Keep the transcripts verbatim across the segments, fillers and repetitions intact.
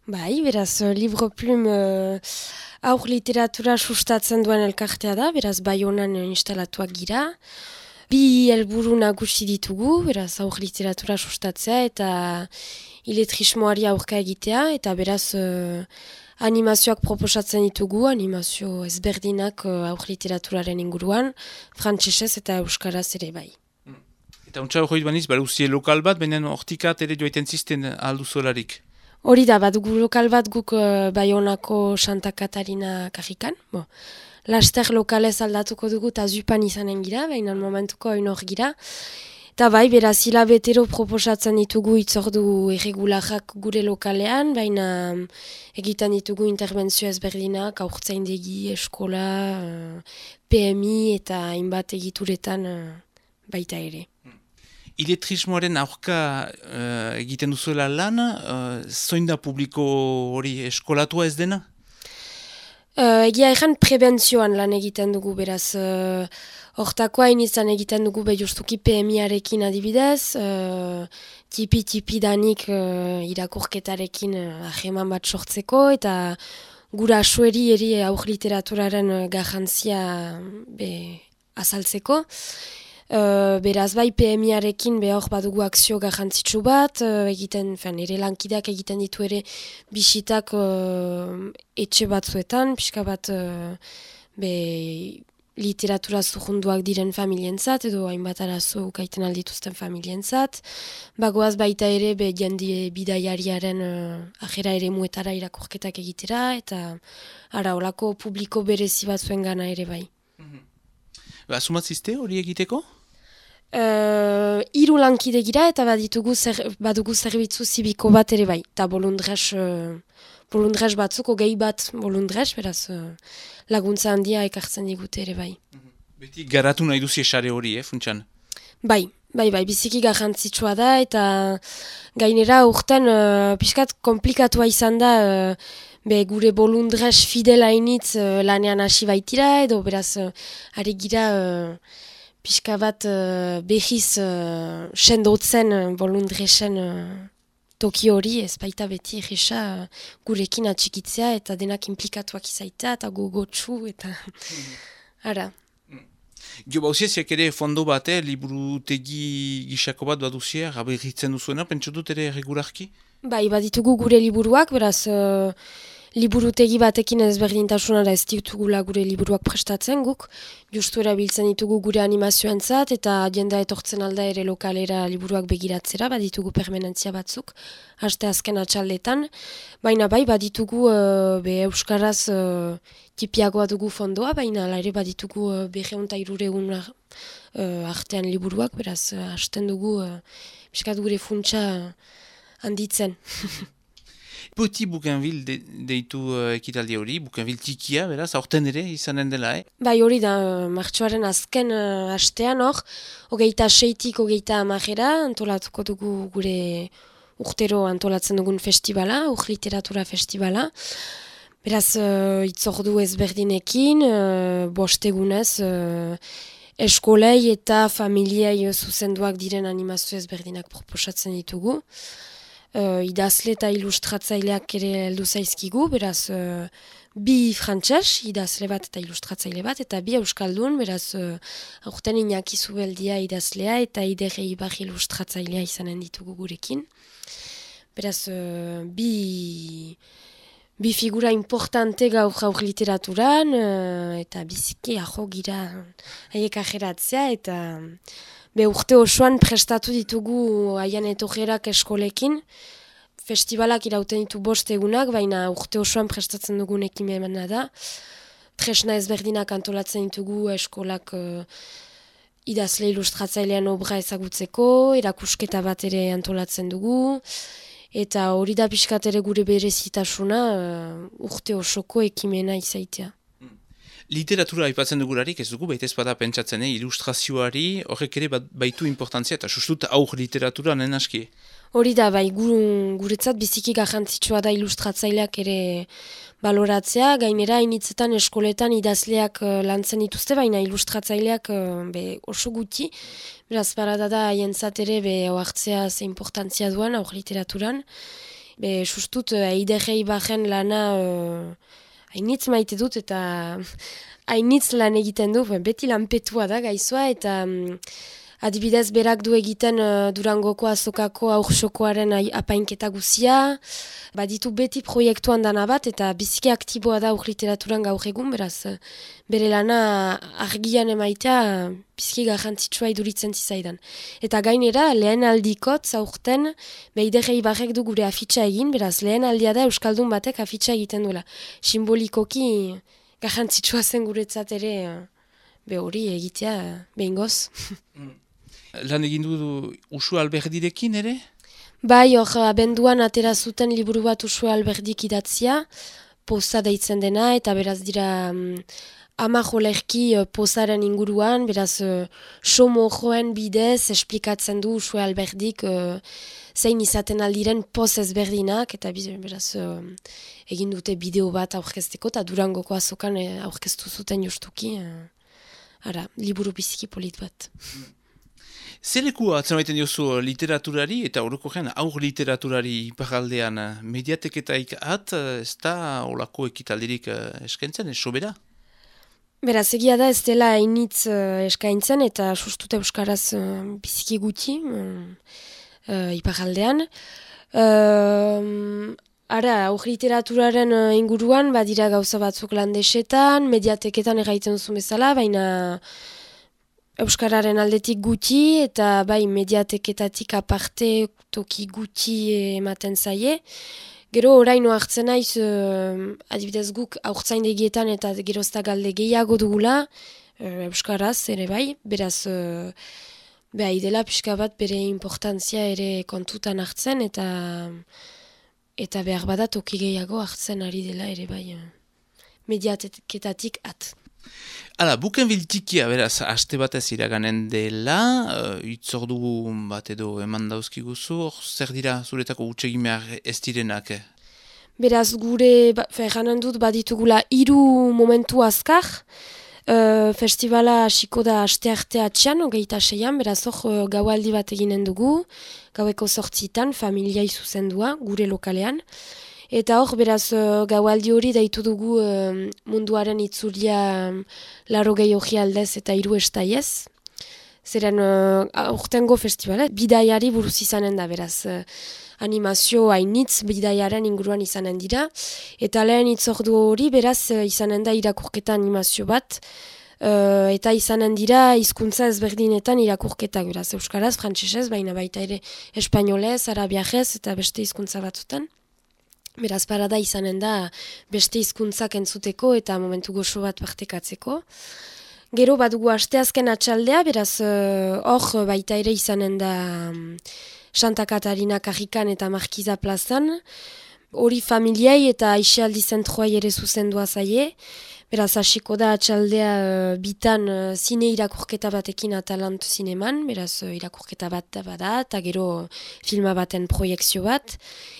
Bai, beraz, uh, Livre Plume uh, aur literatura sustatzen duen elkartea da, beraz, Baionan uh, instalatuak gira. Bi helburu nagusi ditugu, beraz, aur literatura sustatzea eta iletrismoari aurka egitea, eta beraz, uh, animazioak proposatzen ditugu, animazio ezberdinak uh, aur literaturaren inguruan, frantsesez eta euskaraz ere bai. Eta untsa hori baniz, baruzie lokal bat, baina hortikat ere joaiten zisten aldu zolarik. Hori da, bat gu lokal bat guk uh, Baionako Santa Katarina karrikan. Bo, laster lokalez aldatuko dugu eta zupan izanen gira, baina momentuko oin hor gira. Eta bai, beraz, hilabetero proposatzen ditugu itzordu erregularak gure lokalean, baina um, egiten ditugu interbentzio ezberdinak, aurtzaindegi, eskola, uh, P M I eta hainbat egituretan uh, baita ere. Iletrismoaren aurka uh, egiten duzuela lan, uh, zoin da publiko hori eskolatua ez dena? Uh, egia egan prebentzioan lan egiten dugu, beraz, uh, hortako hain izan egiten dugu behiustuki P M I-arekin adibidez, uh, tipi-tipi danik uh, irakurketarekin uh, aheman bat sortzeko, eta gura asueri eri aur literaturaren uh, garrantzia be, azaltzeko. Uh, beraz bai P M I-arekin behor badugu akzio garrantzitsu bat, uh, egiten, fen, ere lankideak egiten ditu ere bisitak uh, etxe batzuetan, pixka bat uh, be, literatura zurrunduak diren familientzat, edo hainbat arazo ukaiten aldituzten familientzat. Bagoaz baita ere be jende bidaiariaren uh, ajera ere muetara irakurketak egitera, eta ara olako publiko berezi batzuen gana ere bai. Mm-hmm. Asumatzizte hori egiteko? Uh, Hiru lankide gira eta baditugu zer, badugu zerbitzu zibiko bat ere bai. Eta bolundres, uh, bolundres batzuk, gehi bat bolundres, beraz uh, laguntza handia ekartzen digute ere bai. Beti garatu nahi duzi esare hori, eh, funtsan? Bai, bai, bai, biziki garrantzitsua da eta gainera urten uh, pixkat komplikatua izan da uh, be gure bolundres fidela initz uh, lanean hasi baitira edo beraz uh, ari gira uh, pixka bat uh, behiz uh, sendotzen uh, bolundresen uh, toki hori ez baita beti egisa uh, gurekin atxikitzea eta denak implikatuak izaita eta gogotsu eta ara. Gio bauziesiak ere fondo bat, eh, liburutegi gisako bat baduziak, aberritzen duzuena, pentsu dut ere regularki? Bai, baditugu gure liburuak, beraz uh, liburutegi batekin ezberdintasunara ez ditugula gure liburuak prestatzen guk, justu erabiltzen ditugu gure animazioentzat eta jendea etortzen alda ere lokalera liburuak begiratzera, baditugu permanentzia batzuk, haste azken atxaldetan, baina bai baditugu uh, be euskaraz uh, tipiagoa dugu fondoa, baina ala ere baditugu uh, berreun eta hirureun uh, artean liburuak, beraz uh, hasten dugu uh, piskat gure funtsa uh, handitzen. Petit Bougainville de, deitu uh, ekitaldi hori, Bougainville tikia, beraz, aurten ere izanen dela, eh? Bai hori da, uh, martxoaren azken uh, hastean hor, hogeita seitik hogeita amajera, antolatuko dugu gure urtero antolatzen dugun festivala, ur literatura festivala. Beraz, uh, itzordu ezberdinekin, uh, bostegunez, uh, eskolei eta familiei zuzenduak diren animazio ezberdinak proposatzen ditugu. Uh, idazle eta ilustratzaileak ere heldu zaizkigu, beraz uh, bi frantses, idazle bat eta ilustratzaile bat, eta bi euskaldun, beraz uh, aurten Iñaki Zubeldia idazlea eta Ider Eibar ilustratzailea izanen ditugu gurekin. Beraz, uh, bi... Bi figura importante gaur gaur literaturan, uh, eta biziki aho gira haiek ajeratzea, eta be urte osoan prestatu ditugu haien etorrerak eskolekin. Festivalak irauten ditu bost egunak, baina urte osoan prestatzen dugun ekimena da. Tresna ezberdinak antolatzen ditugu eskolak uh, idazle ilustratzailean obra ezagutzeko, erakusketa bat ere antolatzen dugu. Eta hori da pixkat ere gure berezitasuna uh, urte osoko ekimena izaitea. Literatura aipatzen dugularik ez dugu, baita ez bada pentsatzen, eh? Ilustrazioari horrek ere bat, baitu importantzia, eta sustut aur literatura nen aski. Hori da, bai, gu, guretzat biziki garrantzitsua da ilustratzaileak ere baloratzea, gainera initzetan eskoletan idazleak uh, lantzen dituzte, baina ilustratzaileak uh, be, oso guti. Beraz, parada da, haientzat ere be oartzea ze importantzia duen aur literaturan. Be, sustut, eidegei bajen lana uh, hainitz maite dut eta hainitz lan egiten du, beti lanpetua da gaizoa eta um, adibidez berak du egiten uh, Durangoko azokako aursokoaren apainketa guzia, baditu beti proiektuan dana bat eta biziki aktiboa da aur literaturan gaur egun, beraz bere lana argian emaitea biziki garrantzitsua iduritzen zizaidan. Eta gainera lehen aldikot zaurten beidegei barrek du gure afitxa egin, beraz lehen aldia da Euskaldun batek afitxa egiten duela. Simbolikoki garrantzitsua zen guretzat ere be hori egitea behingoz. Lan egin du Uxue Alberdirekin ere? Bai, hor abenduan atera zuten liburu bat Uxue Alberdik idatzia, poza deitzen dena, eta beraz dira um, ama jolerki uh, pozaren inguruan, beraz uh, somo joen bidez esplikatzen du Uxue Alberdik uh, zein izaten aldiren poz ezberdinak, eta beraz uh, egin dute bideo bat aurkezteko, eta Durangoko azokan uh, aurkeztu zuten justuki, uh, ara, liburu biziki polit bat. Zelekua atzen baiten diozu literaturari eta orokorrean aur literaturari iparaldean mediateketaik at, ez da olako ekitaldirik eskaintzen, ez sobera? Beraz, egia da ez dela hainitz uh, eskaintzen eta sustut euskaraz uh, biziki guti uh, uh, iparaldean. Uh, ara, aur literaturaren uh, inguruan badira gauza batzuk landesetan, mediateketan erraiten duzu bezala, baina euskararen aldetik guti eta bai mediateketatik aparte toki guti ematen zaie. Gero oraino hartzen naiz, uh, adibidez guk aurtzaindegietan eta gerozta galde gehiago dugula, uh, euskaraz ere bai, beraz uh, behai dela pixka bat bere importantzia ere kontutan hartzen eta eta behar bada toki gehiago hartzen ari dela ere bai uh, mediateketatik at. Hala, buken biltikia, beraz, aste batez iraganen dela, uh, itzordu bat edo eman dauzkiguzu, hor zer dira zuretako utsegin behar ez direnak? Eh? Beraz, gure, ba, ferranen dut, baditugula hiru momentu azkar, uh, festivala hasiko da aste arte atxan, hogeita seian, beraz hor uh, gaualdi bat eginen dugu, gaueko sortzitan, familiai zuzendua, gure lokalean. Eta hor, beraz, uh, gaualdi hori daitu dugu uh, munduaren itzulia um, laro gehi hori aldez eta hiru estaiez. Zeren, uh, aurtengo festivala, bidaiari buruz izanen da, beraz, uh, animazio hainitz bidaiaren inguruan izanen dira. Eta lehen itzordu hori, beraz, uh, izanen da irakurketa animazio bat. Uh, eta izanen dira hizkuntza ezberdinetan irakurketak, beraz, euskaraz, frantsesez, baina baita ere espainolez, arabiajez eta beste hizkuntza batzutan. Beraz, parada izanen da beste hizkuntzak entzuteko eta momentu goxo bat partekatzeko. Gero badugu asteazken atxaldea, beraz hor uh, baita ere izanen da um, Santa Katarina Karrikan eta Markiza plazan. Hori familiai eta aisialdi zentroai ere zuzendua zaie. Beraz, hasiko da atxaldea uh, bitan uh, zine irakurketa batekin Atalant zineman, beraz uh, irakurketa bat da bada, eta gero filma baten proiekzio bat.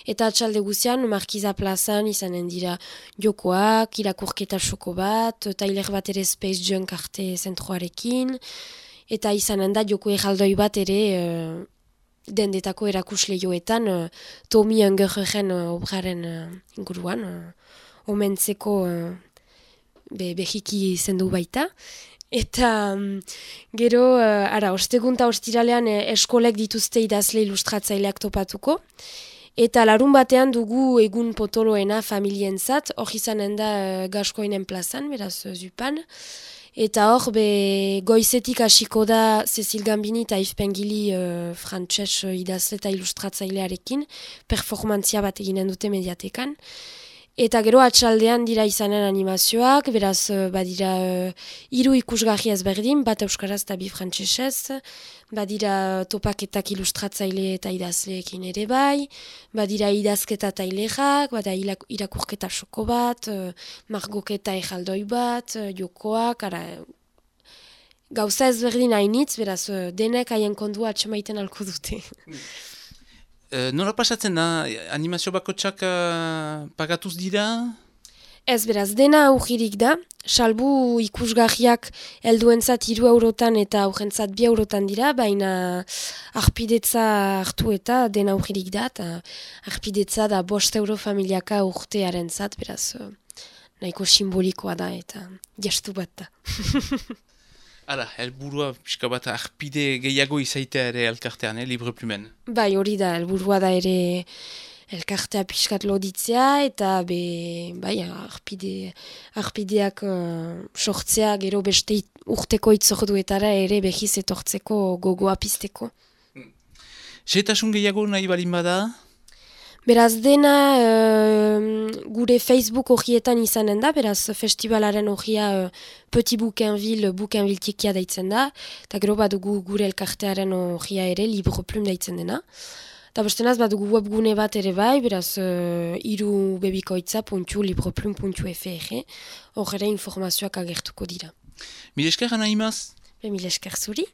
Eta atxalde guzian, Markiza plazan izanen dira jokoak, irakurketa soko bat, tailer bat ere Space Junk arte zentroarekin, eta izanen da joko erraldoi bat ere uh, dendetako erakusle joetan, uh, Tommy Ungerren uh, obraren uh, inguruan, uh, omentzeko uh, Be, behiki zendu baita. Eta um, gero, uh, ara, ostegun eta ostiralean eh, eskolek dituzte idazle ilustratzaileak topatuko. Eta larun batean dugu egun potoloena familienzat, hor izanen da uh, Gaskoinen plazan, beraz uh, zupan. Eta hor, be, goizetik hasiko da Cecil Gambini eta Yves Pengili uh, frantses uh, idazle eta ilustratzailearekin, performantzia bat eginen dute mediatekan. Eta gero atxaldean dira izanen animazioak, beraz badira uh, hiru ikusgarri ezberdin, bat euskaraz eta bi frantsesez, badira topaketak ilustratzaile eta idazleekin ere bai, badira idazketa tailerak, bada irakurketa soko bat, uh, margoketa ejaldoi bat, uh, jokoak, ara, gauza ezberdin hainitz, beraz uh, denek haien kondua atxemaiten alko dute. Uh, nola pasatzen da, animazio bakotsak uh, pagatuz dira? Ez beraz, dena aurririk da, salbu ikusgarriak helduentzat hiru eurotan eta aurrentzat bi eurotan dira, baina arpidetza hartu eta dena aurririk da, eta arpidetza da bost euro familiaka urtearen zat, beraz, nahiko simbolikoa da eta jastu bat da. Hala, helburua pixka bat arpide gehiago izaitea ere elkartean, eh, Libre Plumen. Bai, hori da, helburua da ere elkartea pixkat loditzea eta be, bai, arpide, arpideak uh, sortzea gero beste it, urteko itzorduetara ere behiz etortzeko gogoa pizteko. Setasun gehiago nahi balin bada? Beraz dena uh, gure Facebook horietan izanen da, beraz festivalaren horia uh, Petit Bouquinville, Bouquinville tikia daitzen da, eta gero badugu gure elkartearen horia ere Libre Plume daitzen dena. Eta bestenaz badugu webgune bat ere bai, beraz uh, iru bebikoitza puntu libreplum puntu fr, hor ere informazioak agertuko dira. Mil esker, Ana Imaz? Be, mil esker zuri.